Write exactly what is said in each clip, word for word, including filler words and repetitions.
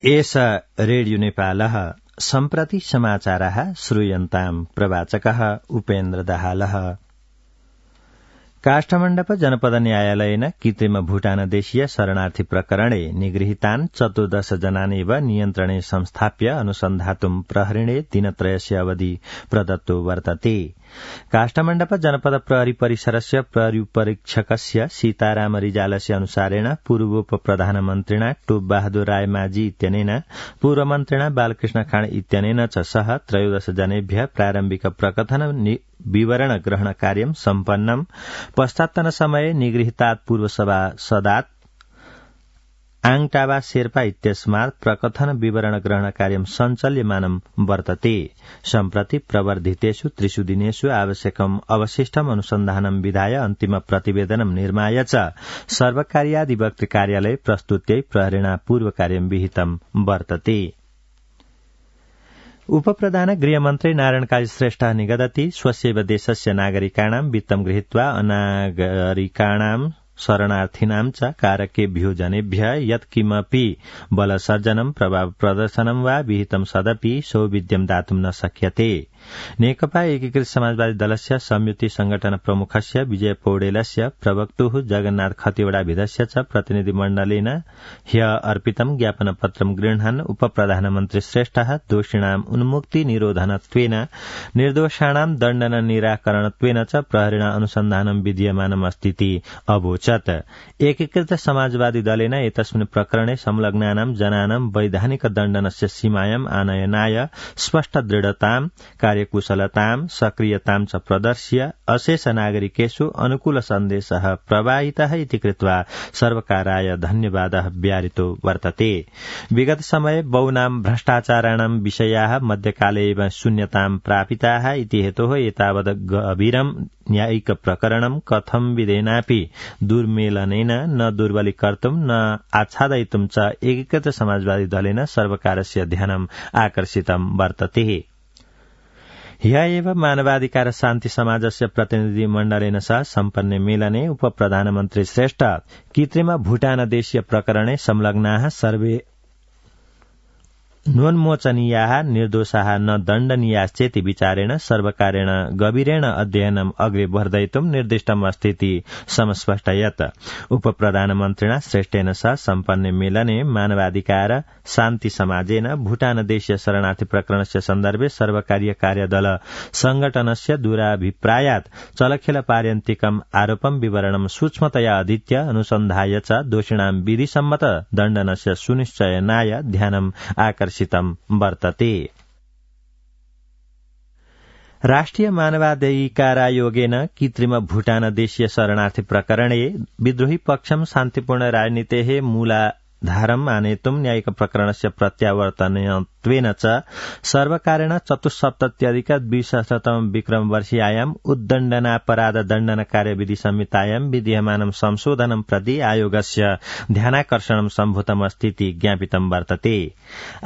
एष रेडियो नेपालः सम्प्रति समाचारः श्रूयन्ताम् प्रवाचकः उपेन्द्र दाहालः। काष्ठमण्डप जनपद न्यायालयेन कृत्रिम भूटानदेशीय शरणार्थी प्रकरणे निगृहीतान् चतुर्दश जनानेव नियन्त्रणे संस्थाप्य अनुसन्धातुम् प्रहरिणे दिनत्रयस्य अवधि प्रदत्तो वर्तते। काष्ठमण्डप जनपद प्रहरी परिसरस्य प्रहरीपरीक्षकस्य सीताराम रिजालस्य अनुसारेण पूर्वोप प्रधानमन्त्रिणा टोप बहादुर राय माझी इत्यनेन पूर्वमन्त्रिणा बालकृष्ण खाँड इत्यनेन च सह त्रयोदश जनेभ्य प्रारम्भिक प्रकथन विवरण ग्रहण कार्यं सम्पन्नम्। पश्चात्तन समये निगृहीतात् पूर्व सभासदात् आङटाबा शेर्पा इत्यस्मात् प्रकथन विवरण ग्रहण कार्यं सञ्चाल्यमानं वर्तते। सम्प्रति प्रवर्धितेषु त्रिषु दिनेषु आवश्यकम् अवशिष्टम् अनुसन्धानं विधाय अन्तिम प्रतिवेदनं निर्माय च सर्वकार्याधिवक्तृ कार्यालये प्रस्तुत्यै प्रहरिणा पूर्व कार्यं विहितं वर्तते। उपप्रधान गृहमन्त्री नारायण काजी श्रेष्ठ निगदति स्वस्यैव देशस्य नागरिकाणां वित्तं गृहीत्वा अनागरिकाणां शरणार्थिनां च कारकेभ्यो जनेभ्य यत्किमपि बलसर्जनं प्रभाव प्रदर्शनं वा विहितं सदपि सौविध्यं दातुं न शक्यते। नेकपा एकीकृत समाजवादी दलस्य संयुति संगठन प्रमुखस्य विजय पौडेलस्य प्रवक्तुः जगन्नाथ खतिवड़ाभिधस्य च प्रतिनिधिमण्डलेन ह्य अर्पितं ज्ञापनपत्रं गृह्णन् उपप्रधानमन्त्री श्रेष्ठः दोषिणाम् उन्मुक्ति निरोधनत्वेन निर्दोषाणां दण्डन निराकरणत्वेन च प्रहरिणा अनुसन्धानं विधीयमानमस्तीति अवोचत्। एकीकृत समाजवादी दलेन एतस्मिन् प्रकरणे संलग्नानां जनानां वैधानिक दण्डनस्य सीमायाम् आनयनाय स्पष्ट दृढतां कार्यकुशलतां सक्रियतां च प्रदर्श्य अशेष नागरिकेषु अनुकूल सन्देशः प्रवाहितः इति कृत्वा सर्वकाराय धन्यवादः व्याहृतो वर्तते। विगत समये बहूनां भ्रष्टाचाराणां विषयाः मध्यकाले एव शून्यतां प्रापिताः इति हेतोः एतावत् गभीरं न्यायिक प्रकरणं कथं विधेनापि दुर्मेलनेन न दुर्बलीकर्तुं न आच्छादयितुं च एकीकृत समाजवादी दलेन सर्वकारस्य ध्यानम् आकर्षितं वर्तते। ह्य एव मानवाधिकार शान्ति समाजस्य प्रतिनिधिमण्डलेन सह सम्पन्ने मेलने उपप्रधानमन्त्री श्रेष्ठ कृत्रिम भूटानदेशीय प्रकरणे संलग्नाः सर्वे नोन्मोचनीयाः निर्दोषाः न दण्डनीयाश्चेति विचारेण सर्वकारेण गभीरेण अध्ययनम् अग्रे वर्धयितुं निर्दिष्टम् अस्तीति समस्पष्टयत्। उपप्रधानमन्त्रिणा श्रेष्ठेन सह सम्पन्ने मेलने मानवाधिकार शान्ति समाजेन भूटानदेशीय शरणार्थी प्रकरणस्य सन्दर्भे सर्वकारीय कार्यदल संगठनस्य दूराभिप्रायात् चलखेल पार्यन्तिकम् आरोपं विवरणं सूक्ष्मतया अधीत्य अनुसन्धाय च दोषिणां विधिसम्मत दण्डनस्य सुनिश्चयनाय ध्यानम् आकर्षितम् वर्तते। राष्ट्रिय मानवाधिकारायोगेन कृत्रिम भूटानदेशीय शरणार्थी प्रकरणे विद्रोही पक्षं शान्तिपूर्ण राजनीतेः मूलाधारम् आनेतुं न्यायिक प्रकरणस्य प्रत्यावर्तनत्वेन च सर्वकारेण चतुस्सप्तत्यधिक द्विसहस्रतम विक्रम वर्षीयायाम् उद्दण्डनापराध दण्डन कार्यविधि संहितायां विधीयमानं संशोधनं प्रति आयोगस्य ध्यानाकर्षणं सम्भूतमस्तीति ज्ञापितं वर्तते।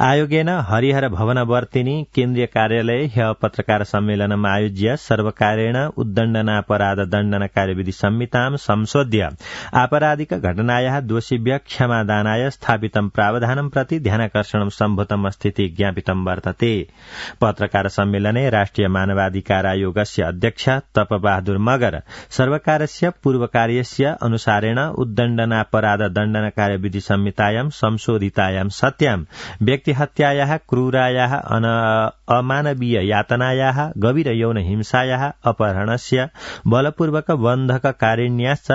आयोगेन हरिहर भवनवर्तिनी केन्द्रीय कार्यालये ह्य पत्रकार सम्मेलनम् आयोज्य सर्वकारेण उद्दण्डनापराध दण्डन कार्यविधि संहितां संशोध्य आपराधिक घटनायाः दोषिभ्यः क्षमादानाय स्थापितं प्रावधानं प्रति ध्यानाकर्षणं सम्भूतमस्तीति ज्ञापितं वर्तते। पत्रकार सम्मेलने राष्ट्रिय मानवाधिकार आयोगस्य अध्यक्ष तप बहादुर मगर सर्वकारस्य पूर्वकार्यस्य अनुसारेण उद्दण्डनापराध दण्डन कार्यविधि संहितायां संशोधितायां सत्यां व्यक्तिहत्यायाः क्रूरायाः अमानवीय यातनायाः गभीर यौन हिंसायाः अपहरणस्य बलपूर्वक बन्धककारिण्याश्च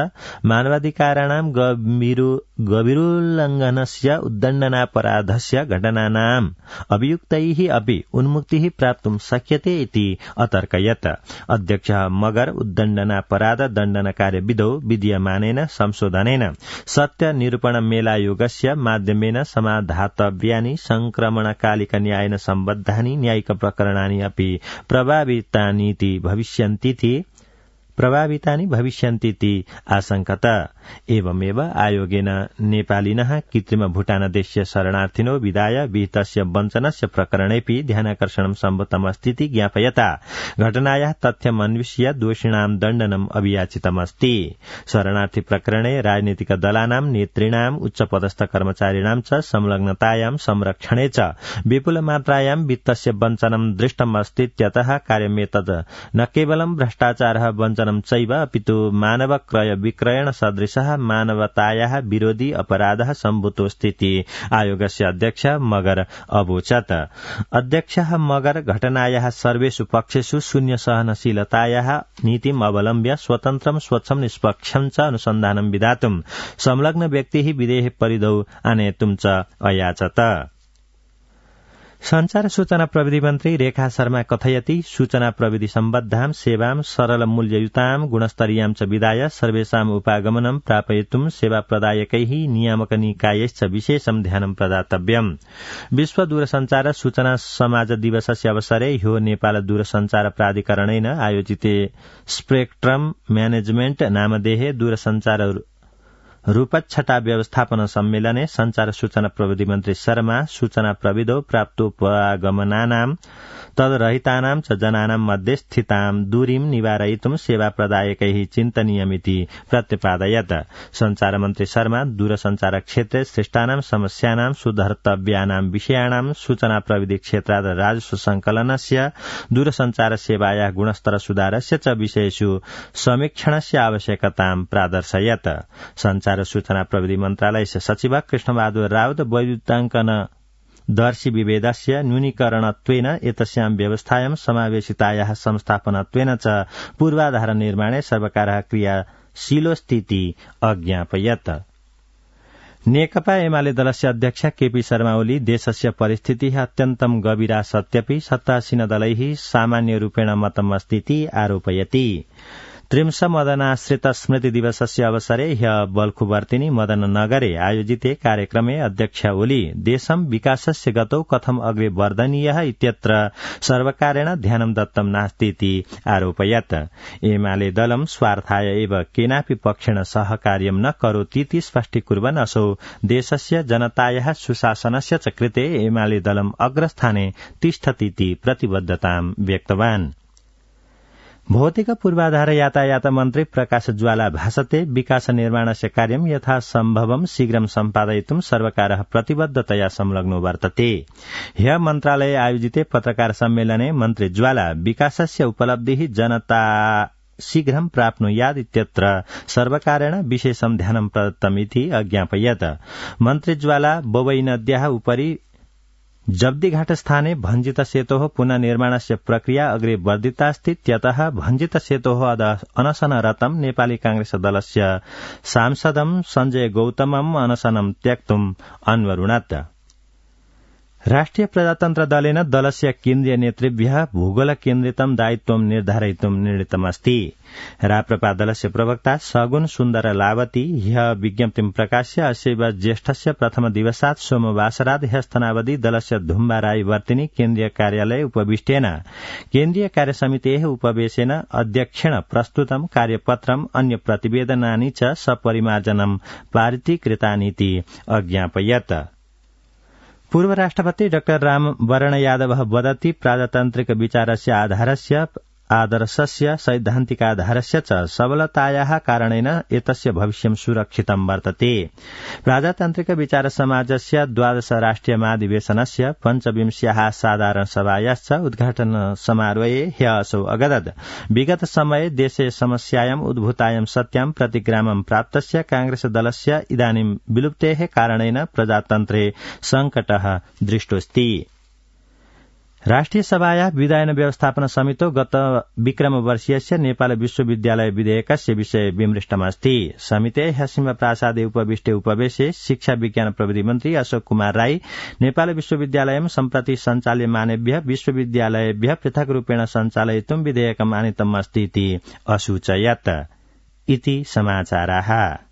मानवाधिकाराणां गभीरोल्लङ्घनस्य उद्दण्डनापराधस्य घटनानाम् अभियुक्तैः अपि उन्मुक्तिः प्राप्तुं शक्यते इति अतर्कयत्। अध्यक्ष मगर उद्दण्डनापराध दण्डन कार्यविधौ विधीयमानेन संशोधनेन सत्य निरूपण मेलायोगस्य माध्यमेन समाधातव्यानि संक्रमणकालिक न्यायेन सम्बद्धानि न्यायिक प्रकरणानि अपि प्रभावितानीति भविष्यन्तीति प्रभावितानि भविष्यन्तीति आशंकत। एवमेव आयोगेन नेपालिनः कृत्रिम भूटानदेशीय शरणार्थिनो विदाय विहितस्य वञ्चनस्य प्रकरणेऽपि ध्यानाकर्षणं सम्भूतमस्तीति ज्ञापयता घटनायाः तथ्यमन्विष्य दोषिणां दण्डनम् अभियाचितमस्ति। शरणार्थी प्रकरणे राजनीतिक दलानां नेतृणां उच्चपदस्थ कर्मचारिणां च संलग्नतायां संरक्षणे च विपुल मात्रायां वित्तस्य वञ्चनं दृष्टमस्तीत्यतः कार्यमेतद् न केवलं भ्रष्टाचारः वञ्चनं चैव अपितु मानव क्रय विक्रयण सदृशः मानवतायाः विरोधी अपराधः सम्भूतोऽस्तीति आयोगस्य अध्यक्ष मगर अवोचत्। अध्यक्षः मगर घटनायाः सर्वेषु पक्षेषु शून्य सहनशीलतायाः नीतिम् अवलम्ब्य स्वतन्त्रं स्वच्छं निष्पक्षं च अनुसन्धानं विधातुं संलग्न व्यक्तिः विधेः परिधौ आनेतुं च अयाचत। संचार सूचना प्रविधि मन्त्री रेखा शर्मा कथयति सूचना प्रविधि सम्बद्धां सेवां सरल मूल्ययुतां गुणस्तरीयां च विधाय सर्वेषाम् उपागमनं प्रापयितुं सेवा प्रदायकैः नियामक निकायैश्च विशेषं ध्यानं प्रदातव्यम्। विश्व दूरसञ्चार सूचना समाज दिवसस्य अवसरे ह्यो नेपाल दूरसञ्चार प्राधिकरणेन आयोजिते स्पेक्ट्रम म्यानेजमेन्ट नामधेये दूरसञ्चार रूपच्छटा व्यवस्थापन सम्मेलने संचार सूचना प्रविधि मन्त्री शर्मा सूचना प्रविधौ प्राप्तोपगमनानां तद्रहितानां च जनानां मध्ये स्थितां दूरीं निवारयितुं सेवा प्रदायकैः चिन्तनीयमिति प्रत्यपादयत्। संचार मन्त्री शर्मा दूरसञ्चार क्षेत्रे सृष्टानां समस्यानां सुधर्तव्यानां विषयाणां सूचना प्रविधि क्षेत्रात् राजस्व संकलनस्य दूरसञ्चार सेवायाः गुणस्तर सुधारस्य च विषयेषु समीक्षणस्य आवश्यकतां प्रादर्शयत्। संचार सूचना प्रविधि मन्त्रालयस्य सचिव कृष्णबहादुर राउत वैद्युताङ्कन दर्शी विभेदस्य न्यूनीकरणत्वेन एतस्यां व्यवस्थायां समावेशितायाः संस्थापनत्वेन च पूर्वाधार निर्माणे सर्वकारः क्रियाशीलोऽस्तीति अज्ञापयत्। नेकपा एमाले दलस्य अध्यक्ष केपी शर्मा ओली देशस्य परिस्थितिः अत्यन्तं गभीरा सत्यपि सत्तासीन दलैः सामान्य रूपेण मतमस्तीति आरोपयति। त्रिंश मदनाश्रित स्मृति दिवसस्य अवसरे ह्यः बल्खुवर्तिनी मदन नगरे आयोजिते कार्यक्रमे अध्यक्ष ओली देशं विकासस्य गतौ कथं अग्रे वर्धनीयः इत्यत्र सर्वकारेण ध्यानं दत्तं नास्तीति आरोपयत्। एमाले दलं स्वार्थाय एव केनापि पक्षेण सहकार्यं न करोतीति स्पष्टीकुर्वन् असौ देशस्य जनतायाः सुशासनस्य च कृते एमाले दलं अग्रस्थाने तिष्ठतीति प्रतिबद्धतां व्यक्तवान्। भौतिक पूर्वाधार यातायात मन्त्री प्रकाश ज्वाला भाषते विकास निर्माणस्य कार्यं यथासम्भवं शीघ्रं सम्पादयितुं सर्वकारः प्रतिबद्धतया संलग्नो वर्तते। ह्यः मन्त्रालये आयोजिते पत्रकार सम्मेलने मन्त्री ज्वाला विकासस्य उपलब्धिः जनता शीघ्रं प्राप्नुयात् इत्यत्र सर्वकारेण विशेषं ध्यानं प्रदत्तमिति अज्ञापयत्। मन्त्री ज्वाला बोवई नद्याः उपरि जब्दीघाट स्थाने भञ्जित सेतोः पुनः निर्माणस्य प्रक्रिया अग्रे वर्धितास्तीत्यतः भञ्जित सेतोः अनशनरतं नेपाली कांग्रेस दलस्य सांसदं सञ्जय गौतमम् अनशनं त्यक्तुम् अन्वरुणत्। राष्ट्रिय प्रजातन्त्र दलेन दलस्य केन्द्रीय नेतृभ्यः भूगोल केन्द्रितं दायित्वं निर्धारयितुं निर्णीतमस्ति। राप्रपा दलस्य प्रवक्ता सगुन सुन्दर लावती ह्यः विज्ञप्तिं प्रकाश्य अस्यैव ज्येष्ठस्य प्रथम दिवसात् सोमवासरात् ह्यस्तनावधि दलस्य धुम्बाराई वर्तिनी केन्द्रीय कार्यालय उपविष्टेन केन्द्रीय कार्यसमितेः उपवेशेन अध्यक्षेण प्रस्तुतं कार्यपत्रम् अन्य प्रतिवेदनानि च सपरिमार्जनं पारितीकृतानीति अज्ञापयत्। पूर्व राष्ट्रपति डाक्टर राम वरण यादवः वदति प्रजातान्त्रिक विचारस्य आधारस्य आदर्शस्य सैद्धान्तिकाधारस्य च सबलतायाः कारणेन एतस्य भविष्यं सुरक्षितं वर्तते। प्रजातान्त्रिक विचार समाजस्य द्वादश राष्ट्रिय महाधिवेशनस्य पञ्चविंश्याः साधारण सभायाश्च उद्घाटन समारोहे ह्यः असौ अगदत् विगत समये देशे समस्यायाम् उद्भूतायां सत्यां प्रतिग्रामं प्राप्तस्य कांग्रेस दलस्य इदानीं विलुप्तेः कारणेन प्रजातन्त्रे संकटः दृष्टोऽस्ति। राष्ट्रिय सभायाः विधायन व्यवस्थापन समितो गत विक्रम वर्षीयस्य नेपाल विश्वविद्यालय विधेयकस्य विषय विमृष्टमस्ति। समितेः ह्यसिंह प्रासादे उपविष्टे उपवेशे शिक्षा विज्ञान प्रविधि मन्त्री अशोक कुमार राई नेपाल विश्वविद्यालयं सम्प्रति सञ्चाल्यमानेभ्यः विश्वविद्यालयेभ्यः पृथक् रूपेण सञ्चालयितुं विधेयकम् आनीतम् अस्ति इति असूचयत्। इति समाचाराः।